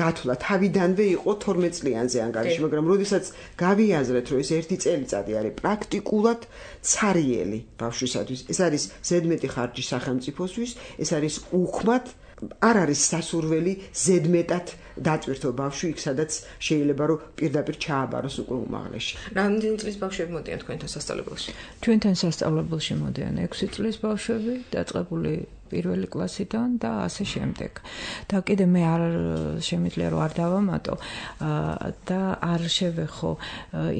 გათვლა თავიდანვე იყო 12 წლიანზე ანგარიში, მაგრამ როდესაც გავიაზრეთ, რომ ეს ერთი წელიწადი არის პრაქტიკულად ცარიელი ბავშვისათვის, ეს არის ზედმეტი ხარჯი სახელმწიფოსთვის, ეს არის უქმად არ არის სასურველი ზედმეტად დატვირთო ბავშვი იქ სადაც შეიძლება რომ პირდაპირ ჩააბაროს უკვე უმაღლესში. რამდენი წლის ბავშვები მოდიან თქვენთან სასწავლებელში? ჩვენთან სასწავლებელში მოდიან 6 წლის ბავშვები, დაწყებული პირველი კლასიდან და ასე შემდეგ. და კიდე მე არ შემიძლია რომ არ დავამატო და არ შევეხო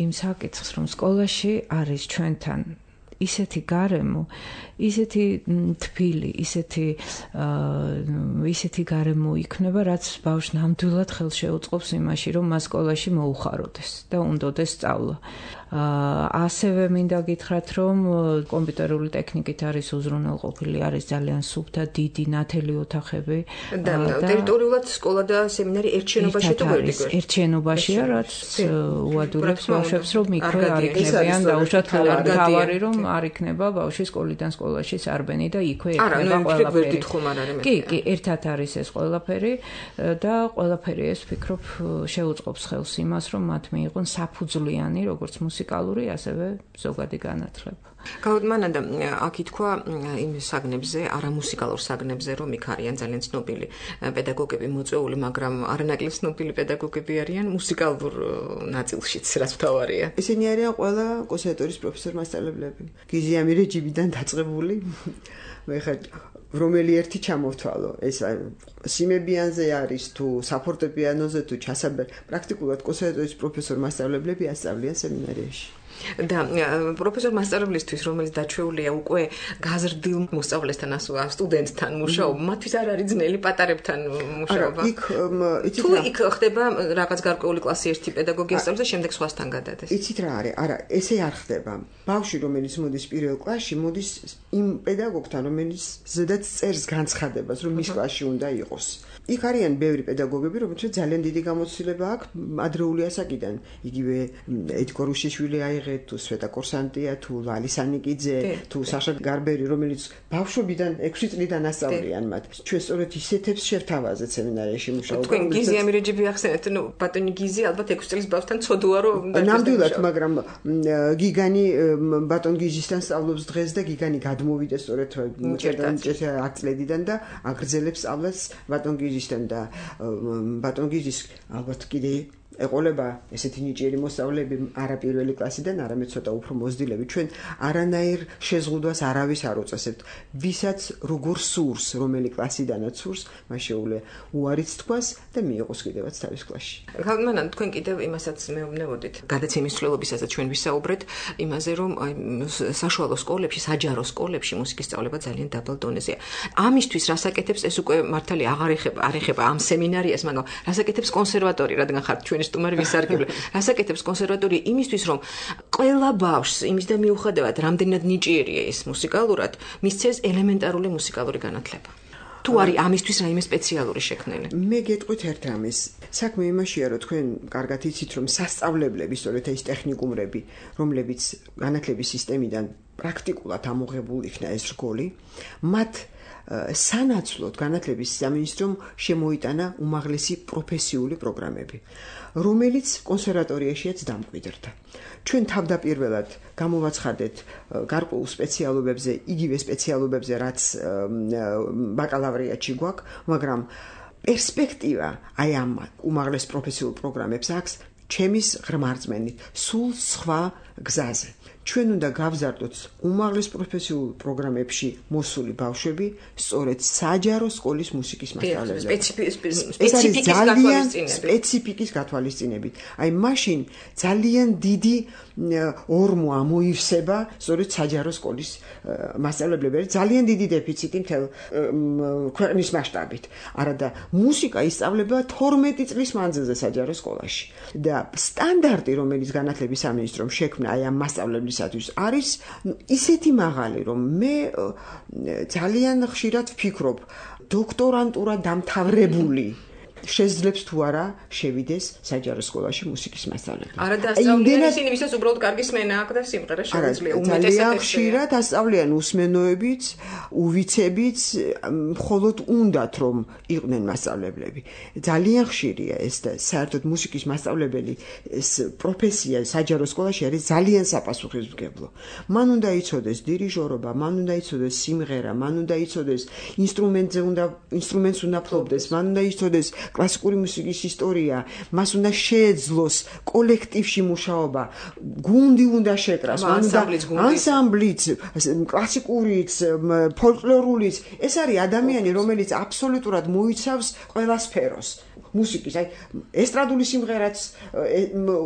იმ საკითხს, რომ სკოლაში არის ჩვენთან ისეთი გარემო, ისეთი თბილი, ისეთი გარემო იქნება, რაც ბავშვს ნამდვილად ხელს შეუწყობს იმაში, რომ მას სკოლაში მოუხაროდეს და უნდოდეს სწავლა. ასევე მინდა გითხრათ, რომ კომპიუტერული ტექნიკით არის უზრუნველყოფილი, არის ძალიან სუფთა, დიდი, ნათელი ოთახები და ტერიტორიულად სკოლა და სემინარი ერთ შენობაში თუ ვერტიგვერდ? ერთ შენობაშია, რაც უადურებს ბავშვებს, რომ იქვე არ იქნებიან დაუშვათ თავარი, რომ არ იქნება ბავშვი სკოლიდან სკოლაში სარბენი და იქვე იქნება ყველაფერი. კი, ერთად არის ეს ყველაფერი და ყველაფერი ეს ვფიქრობ შეუწყობს ხელს იმას, რომ მათ მიიღონ საფუძვლიანი, როგორც მუსიკალური, ასევე ზოგადი განათლება. გაუდმანდა აქ ითქვა იმ საგნებზე, არამუსიკალურ საგნებზე, რომ იქ არიან ძალიან ცნობილი პედაგოგები მოწვეული, მაგრამ არანაკლებ ცნობილი პედაგოგები არიან მუსიკალურ ნაწილშიც, რაც მთავარია. ისინი არიან ყველა კონსერვატორიის პროფესორ-მასწავლებლები. გიზი ამირეჯიბიდან დაწყებული. მე ხარ რომელი ერთი ჩამოვთვალო, ეს სიმებიანზე არის თუ საფორტეპიანოზე თუ პრაქტიკულად კონსერვატორიის პროფესორ-მასწავლებლები ასწავლიან სემინარიაში. და პროფესორ-მასწავლებლისთვის, რომელიც დაჩვეულია უკვე გაზრდილ მოსწავლესთან, სტუდენტთან მუშაობა, მათთვის არ არის ძნელი პატარებთან მუშაობა. თუ იქ ხდება რაღაც გარკვეული კლასი ერთი პედაგოგი ასწავლის და შემდეგ სხვასთან გადადეს. იცით რა არის? არა, ესე არ ხდება. ბავშვი, რომელიც მოდის პირველ კლასში, მოდის იმ პედაგოგთან, რომელიც ზედაც წერს განცხადებას, რომ მის კლასში უნდა იყოს. იქ არიან ბევრი პედაგოგები, რომელთაც ძალიან დიდი გამოცდილება აქვს ადრეული ასაკიდან. იგივე ედგარ უშიშვილი აიღეთ, თუ სვეტა კორსანტია, თუ ლალი სანიკიძე, თუ საშა გარბერი, რომელიც ბავშვობიდან 6 წლიდან ასწავლიან მათ. ჩვენ სწორედ ისეთებს შევთავაზეთ სემინარიაში მუშაობა. თქვენ გიზი ამირეჯიბი ახსენეთ, ბატონი გიზი ალბათ 6 წლის ბავშვთან ცოდუა რომ ნამდვილად, მაგრამ გიგანი ბატონ გიზისთან სწავლობს დღეს და გიგანი გადმოვიდა სწორედ 10 წლედიდან და აგრძელებს სწავლას ბატონ გიზისთან და ბატონ გიზის ალბათ კიდე ეყოლება ესეთი ნიჭიერი მოსწავლეები არა პირველი კლასიდან, არამედ ცოტა უფრო მოზრდილები. ჩვენ არანაირ შეზღუდვას არავის არ უწესებთ. ვისაც როგორ სურს, რომელი კლასიდანაც სურს, მას შეუძლია უარიც თქვას და მიიღოს კიდევაც თავის კლასში. ხალხმანან თქვენ კიდევ იმასაც მეუბნებოდით, გადაცემის ცვლილებისასაც ჩვენ ვისაუბრეთ იმაზე, რომ საშუალო სკოლებში, საჯარო სკოლებში მუსიკის სწავლება ძალიან დაბალ დონეზეა. ამისთვის რასაკეთებს ეს უკვე მართალი არ ეხება ამ სემინარიას, მაგრამ რასაკეთებს კონსერვატორია, რადგან ხართ ჩვენი სტუმარი ვისარგებლე. რასაკეთებს კონსერვატორია იმისთვის, რომ ყველა ბავშვს იმისდა მიუხედავად, რამდენად ნიჭიერია ის მუსიკალურად, მისცეს ელემენტარული მუსიკალური განათლება. თუ არის ამისთვის რაიმე სპეციალური შექმნილი? მე გეტყვით ერთ რამეს. საქმე იმაშია, რომ თქვენ კარგად იცით, რომ სასწავლებლები, სწორედ ეს ტექნიკუმრები, რომლებიც განათლების სისტემიდან პრაქტიკულად ამოღებული იქნა ეს რგოლი, მათ სანაცვლოდ განათლების სამინისტრომ შემოიტანა უმაღლესი პროფესიული პროგრამები, რომელიც კონსერვატორიაშიაც დამკვიდრდა. ჩვენ თავდაპირველად გამოვაცხადეთ გარკვეულ სპეციალობებზე, იგივე სპეციალობებზე, რაც ბაკალავრიატში გვაქვს, მაგრამ პერსპექტივა აი ამ უმაღლეს პროფესიულ პროგრამებს აქვს ჩემის ღრმა რწმენით სულ სხვა გზაზე. ჩვენ უნდა გავზარდოთ უმაღლეს პროფესიულ პროგრამებში მოსული ბავშვები სწორედ საჯარო სკოლის მუსიკის მასწავლებლად. სპეციფიკის გათვალისწინებით. აი მაშინ ძალიან დიდი ორმო ამოივსება სწორედ საჯარო სკოლის მასწავლებლები. ძალიან დიდი დეფიციტი მთელ ქვეყნის მასშტაბით. არა და მუსიკა ისწავლება 12 წლის მანძილზე საჯარო სკოლაში. და სტანდარტი, რომელიც განათლების სამინისტრომ შექმნა აი ამ მასწავლებლისათვის არის ისეთი მაღალი, რომ მე ძალიან ხშირად ვფიქრობ, დოქტორანტურა დამთავრებული შეძლებს თუ არა შევიდეს საჯარო სკოლაში მუსიკის მასწავლებლად. არა დაასწავლიან ისინი, ვისაც უბრალოდ კარგი სმენა აქვს და სიმღერა შეუძლია. ძალიან ხშირად ასწავლიან უსმენოებიც, უვიცებიც, მხოლოდ უნდათ რომ იყვნენ მასწავლებლები. ძალიან ხშირია ეს და საერთოდ მუსიკის მასწავლებელი ეს პროფესია საჯარო სკოლაში არის ძალიან საპასუხისმგებლო. მან უნდა იცოდეს დირიჟორობა, მან უნდა იცოდეს სიმღერა, მან უნდა იცოდეს ინსტრუმენტს უნდა ფლობდეს, მან უნდა იცოდეს კლასიკური მუსიკის ისტორია, მას უნდა შეეძლოს კოლექტივში მუშაობა, გუნდი უნდა შეკრას, მან უნდა ანსამბლიც, კლასიკურიც, ფოლკლორულიც. ეს არის ადამიანი, რომელიც აბსოლუტურად მოიცავს ყველა სფეროს. მუსიკის, აი ესტრადული სიმღერაც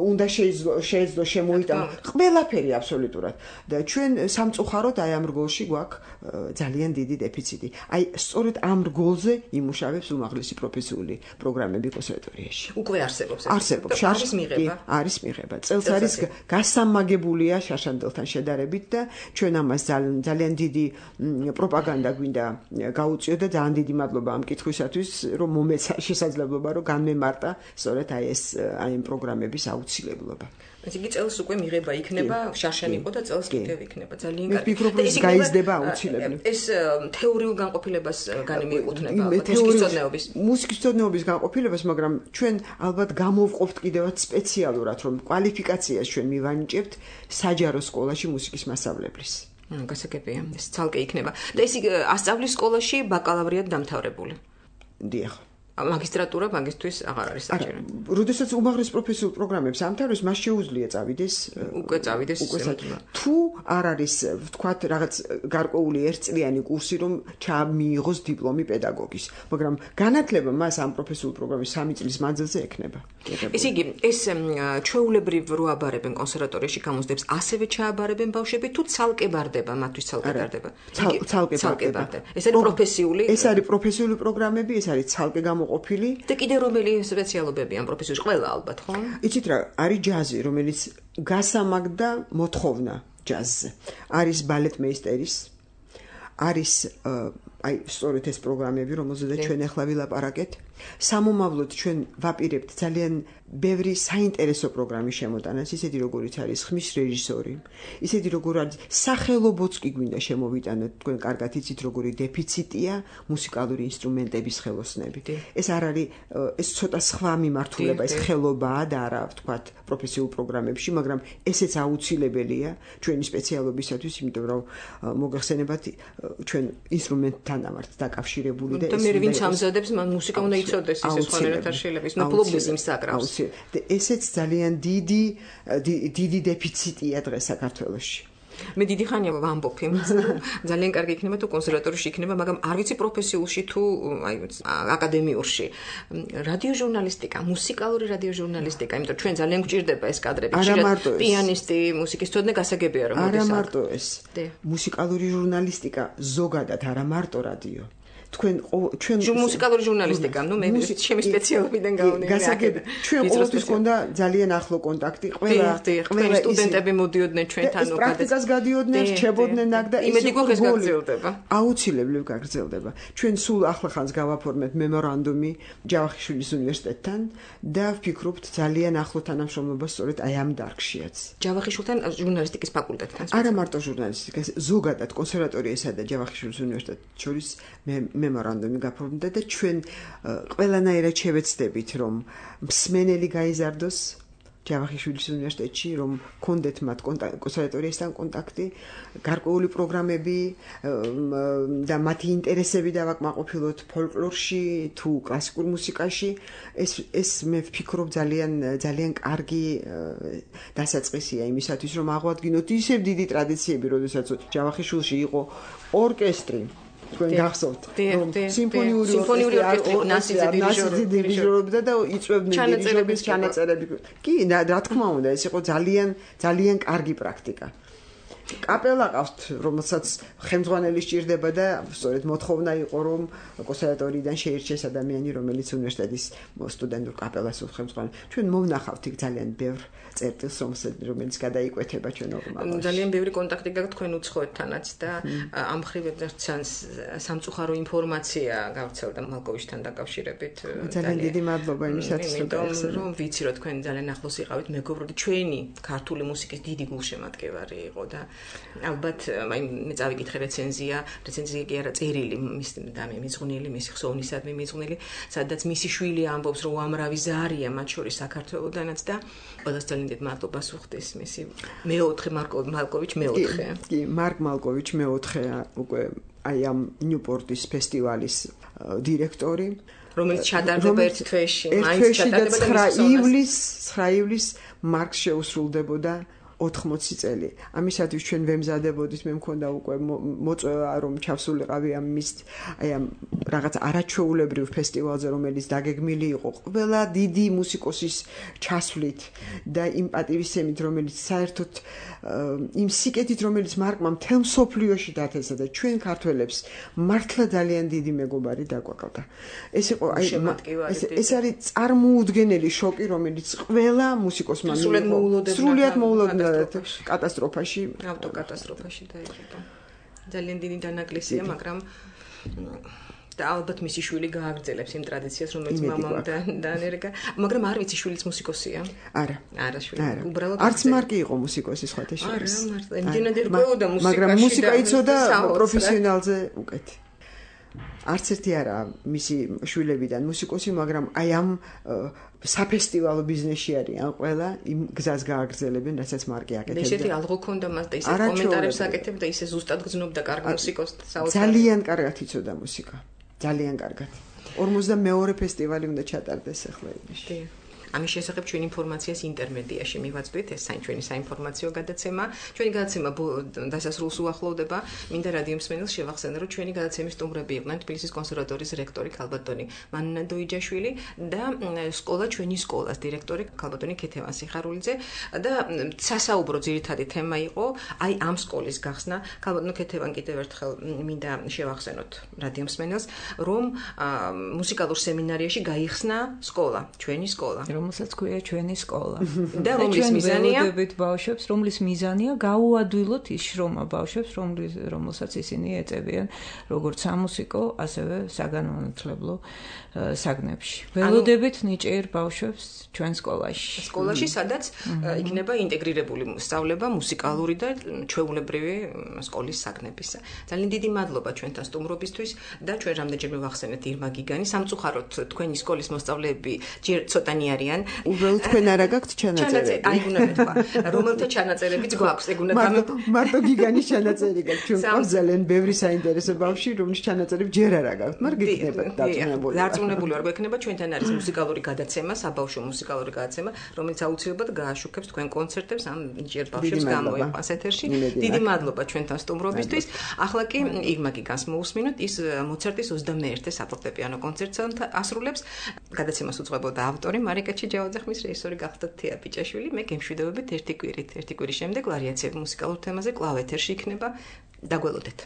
უნდა შეეძლო შემოიტანო, ყველაფერი აბსოლუტურად. და ჩვენ სამწუხაროდ აი ამ რგოლში გვაქვს ძალიან დიდი დეფიციტი. აი სწორედ ამ რგოლზე იმუშავებს უმაღლესი პროფესიული პროგრამები კონსერვატორიაში. უკვე არსებობს. არსებობს. არის მიღება. არის მიღება. წელს არის გასამაგებულია შაშანდელთან შედარებით და ჩვენ ამას ძალიან დიდი პროპაგანდა გვინდა გაუწიოთ და ძალიან დიდი მადლობა ამ კითხვისათვის, რომ მომეცა შესაძლებლობა რომ განმემარტა სწორედ აი ამ პროგრამების აუცილებლობა. ესე იგი წელს უკვე მიღება იქნება, შარშან იყო და წელს კიდევ იქნება. ძალიან კარგი. ვფიქრობ რომ ეს გაიზრდება აუცილებლად. ეს თეორიულ განყოფილებას განმეიკუთვნება მუსიკისწოდნეობის. მუსიკისწოდნეობის განყოფილებას, მაგრამ ჩვენ ალბათ გამოვყოფთ კიდევაც სპეციალურად, რომ კვალიფიკაციას ჩვენ მივანიჭებთ საჯარო სკოლაში მუსიკის მასწავლებლის. გასაგებია, ეს ცალკე იქნება. და ეს ასწავლის სკოლაში ბაკალავრიად დამთავრებული. დიახ. მაგისტრატურა მაგისტრის აღარ არის საჭირო. როდესაც უმაღლეს პროფესიულ პროგრამებს ამთავრებს, მას შეუძლია წავიდეს უკვე თუ არ არის ვთქვათ რაღაც გარკვეული ერთწლიანი კურსი რომ ჩამიიღოს დიპლომი პედაგოგის, მაგრამ განათლება მას ამ პროფესიულ პროგრამის 3 წლის მანძილზე ექნება. ესე იგი, ეს ჩვეულებრივ რო აბარებენ კონსერვატორიაში გამოსდებს, ასევე ჩააბარებენ ბავშვები თუ ცალკე ბარდება, მათთვის ცალკე ბარდება. ცალკე ბარდება. ეს არის პროფესიული. ეს არის პროფესიული პროგრამები, ეს არის ცალკე ყოფილი და კიდე რომელი სპეციალობები ამ პროფესიაში ყველა ალბათ ხო? იცით რა, არის ჯაზი, რომელიც გასამაგდა მოთხოვნა ჯაზზე. არის ბალეტმეისტერის, არის აი სწორედ ეს პროგრამები, რომელზედაც ჩვენ ახლა ვილაპარაკეთ. სამომავლოდ ჩვენ ვაპირებთ ძალიან ბევრი საინტერესო პროგრამის შემოტანას, ისეთი როგორიც არის ხმის რეჟისორი, ისეთი როგორ არის სახელობოც კი გვინდა შემოვიტანოთ, თქვენ კარგად იცით როგორი დეფიციტია მუსიკალური ინსტრუმენტების ხელოსნები. ეს არ არის ეს ცოტა სხვა მიმართულება, ეს ხელობაა და არა ვთქვათ პროფესიულ პროგრამებში, მაგრამ ესეც აუცილებელია ჩვენი სპეციალობისათვის, იმიტომ რომ მოგახსენებათ ჩვენ ინსტრუმენტთან ვართ დაკავშირებული და ეს მე ვინც ამზადებს მუსიკა უნდა იცოდეს ისე სხვანაირად არ შეიძლება ის ნაპლობდეს იმ საკრავს. ესეც ძალიან დიდი დეფიციტია დღეს საქართველოში. მე დიდი ხანია ვამბობ იმას, ძალიან კარგი იქნება თუ კონსერვატორიაში იქნება, მაგრამ არ ვიცი პროფესიულში თუ აი აკადემიურში. რადიოჟურნალისტიკა, მუსიკალური რადიოჟურნალისტიკა, იმიტომ ჩვენ ძალიან გვჭირდება ეს კადრები. პიანისტი, მუსიკისწოდნე გასაგებია რომ არა მარტო ეს. მუსიკალური ჟურნალისტიკა ზოგადად არა მარტო რადიო. ჩვენ მუსიკალური ჟურნალისტიკა, ნუ მე ჩემი სპეციალობიდან გავუნე. გასაგებია. ჩვენ ყოველთვის გქონდა ძალიან ახლო კონტაქტი, ყველა სტუდენტები მოდიოდნენ ჩვენთან უკეთ. პრაქტიკას გადიოდნენ, რჩებოდნენ აქ და იმედი გვაქვს გაგრძელდება. აუცილებლად გაგრძელდება. ჩვენ სულ ახლახანს გავაფორმეთ მემორანდუმი ჯავახიშვილის უნივერსიტეტთან და ვფიქრობთ ძალიან ახლო თანამშრომლობა სწორედ აი ამ დარგშიაც. ჯავახიშვილთან ჟურნალისტიკის ფაკულტეტთან. არა მარტო ჟურნალისტიკის, ზოგადად კონსერვატორიასა და ჯავახიშვილის უნივერსიტეტს შორის მემორანდუმი გაფორმდა და ჩვენ ყველანაირად შევეცდებით რომ მსმენელი გაიზარდოს ჯავახიშვილის უნივერსიტეტში, რომ კონდეთ მათ კონსერვატორიასთან კონტაქტი, გარკვეული პროგრამები და მათი ინტერესები დავაკმაყოფილოთ ფოლკლორში თუ კლასიკურ მუსიკაში. ეს მე ვფიქრობ ძალიან კარგი დასაწყისია იმისათვის, რომ აღვადგინოთ ისევ დიდი ტრადიციები, როდესაც ჯავახიშვილში იყო ორკესტრი. თქვენ გახსოვთ სიმფონიური ორკესტრი ნასიძე დირიჟორობდა და იწვევდნენ დირიჟორების ჩანაწერები. კი, რა თქმა უნდა, ეს იყო ძალიან კარგი პრაქტიკა. კაპელა ყავთ, რომელსაც ხელმძღვანელი სჭირდება და სწორედ მოთხოვნა იყო, რომ კონსერვატორიიდან შეირჩეს ადამიანი, რომელიც უნივერსიტეტის სტუდენტურ კაპელას უხელმძღვანელს. ჩვენ მოვნახავთ იქ ძალიან ბევრ წერტილს, რომელიც გადაიკვეთება ჩვენ ორმალობაში. ძალიან ბევრი კონტაქტი გაქვთ თქვენ უცხოეთთანაც და ამ ხრივებთან სამწუხარო ინფორმაცია გავრცელდა მალკოვიჩთან დაკავშირებით. ძალიან დიდი მადლობა იმისათვის, რომ ვიცი, რომ თქვენ ძალიან ახლოს იყავით, მეგობრები, ჩვენი ქართული მუსიკის დიდი გულშემატკივარი იყო და ალბათ მე წავიკითხე რეცენზია კი არა წერილი მის მიზღვნილი, მისი ხსოვნისადმი მიზღვნილი, სადაც მისი შვილი ამბობს, რომ უამრავი ზარია მათ შორის საქართველოდანაც და ყველას ძალიან დიდ მადლობას უხდის მისი მეოთხე მალკოვიჩ მეოთხე. კი, მარკ მალკოვიჩ მეოთხეა უკვე აი ამ ნიუპორტის ფესტივალის დირექტორი, რომელიც ჩატარდება ერთ თვეში, მაინც ჩატარდება 9 ივლის მარკს შეუსრულდებოდა 80 წელი. ამისათვის ჩვენ ვემზადებოდით, მე მქონდა უკვე მოწვევა, რომ ჩავსულიყავი ამ რაღაც არაჩვეულებრივ ფესტივალზე, რომელიც დაგეგმილი იყო ყველა დიდი მუსიკოსის ჩასვლით და იმ პატივისცემით, რომელიც საერთოდ იმ სიკეთით, რომელიც მარკმა მთელ მსოფლიოში დათესა და ჩვენ ქართველებს მართლა ძალიან დიდი მეგობარი დაგვაყავდა. ეს იყო ეს არის წარმოუდგენელი შოკი, რომელიც ყველა მუსიკოსმა სრულიად მოულოდნელად კატასტროფაში, ავტოკატასტროფაში დაიღუპა. ძალიან დიდი დანაკლისია, მაგრამ და ალბათ მისი შვილი გააგრძელებს იმ ტრადიციას, რომელიც მამამ დაანერგა, მაგრამ არ ვიცი, შვილიც მუსიკოსია? არა. არა, შვილი. უბრალოდ არც მარკი იყო მუსიკოსი სხვათა შორის. არა, მართლა. იმდენად ერკვეოდა მუსიკაში. მაგრამ მუსიკა იცოდა პროფესიონალზე უკეთ. არც ერთი არა მისი შვილებიდან მუსიკოსი, მაგრამ აი ამ საფესტივალო ბიზნესში არიან ყველა, იმ გზას გააგრძელებენ, რასაც მარკი აკეთებდა. ესეთი ალღო ქონდა მას და ისე კომენტარებს აკეთებდა, ისე ზუსტად გრძნობდა კარგ მუსიკოსს საოცარ. ძალიან კარგად იცოდა მუსიკა. ძალიან კარგად. 42 ფესტივალი უნდა ჩატარდეს ახლა ივნისში. ამის შესახებ ჩვენ ინფორმაციას ინტერმედიაში მივაწვდით, ეს ჩვენი საინფორმაციო გადაცემა. ჩვენი გადაცემა დასასრულს უახლოვდება. მინდა რადიო მსმენელს შევახსენო, რომ ჩვენი გადაცემის სტუმრები იყვნენ თბილისის კონსერვატორიის რექტორი ქალბატონი მანნა დოიჯაშვილი და სკოლა ჩვენი სკოლას დირექტორი ქალბატონი ქეთევან სიხარულიძე და სასაუბრო ძირითადი თემა იყო აი ამ სკოლის გახსნა. ქალბატონი ქეთევან კიდევ ერთხელ მინდა შევახსენოთ რადიო მსმენელს, რომ მუსიკალურ სემინარიაში გაიხსნა სკოლა, ჩვენი სკოლა. რომელსაც ქვია ჩვენი სკოლა. და რომლის მიზანია? ველოდებით ბავშვებს, რომლის მიზანია გაუადვილოთ ის შრომა ბავშვებს, რომელსაც ისინი ეწევიან, როგორც სამუსიკო, ასევე საგანმანათლებლო საგნებში. ველოდებით ნიჭიერ ბავშვებს ჩვენ სკოლაში. სკოლაში, სადაც იქნება ინტეგრირებული სწავლება მუსიკალური და ჩვეულებრივი სკოლის საგნებისა. ძალიან დიდი მადლობა ჩვენთან სტუმრობისთვის და ჩვენ რამდენჯერმე ვახსენეთ ირმა გიგანი. სამწუხაროდ თქვენი სკოლის მოსწავლეები ჯერ ცოტანი არიან. უბრალოდ თქვენ არა გაქვთ ჩანაწერები. აი უნდა მეთქვა, რომელთა ჩანაწერებიც გვაქვს, ეგ უნდა მარტო გიგანის ჩანაწერი გაქვთ. ჩვენ გვაქვს ძალიან ბევრი საინტერესო ბავშვი, რომლის ჩანაწერები ჯერ არა გაქვთ, მაგრამ გიქნება დარწმუნებული. დარწმუნებული ვარ, გვექნება ჩვენთან არის მუსიკალური გადაცემა, საბავშვო მუსიკალური გადაცემა, რომელიც აუცილებლად გააშუქებს თქვენ კონცერტებს ამ ჯერ ბავშვებს გამოიყვანს ეთერში. დიდი მადლობა ჩვენთან სტუმრობისთვის. ახლა კი ირმა გიგანს მოусმინოთ, ის მოცარტის 21-ე საფორტეპიანო კონცერტს ასრულებს. გადაცემას უძღვებოდა ავტორი მარიკა ჩიჯავაძე-ხმის რეჟისორი გახდა თეა პიჭაშვილი. მე გემშვიდობებით ერთი კვირის შემდეგ ვარიაციები მუსიკალურ თემაზე კვლავ ეთერში იქნება. დაგველოდეთ.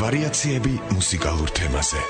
ვარიაციები მუსიკალურ თემაზე.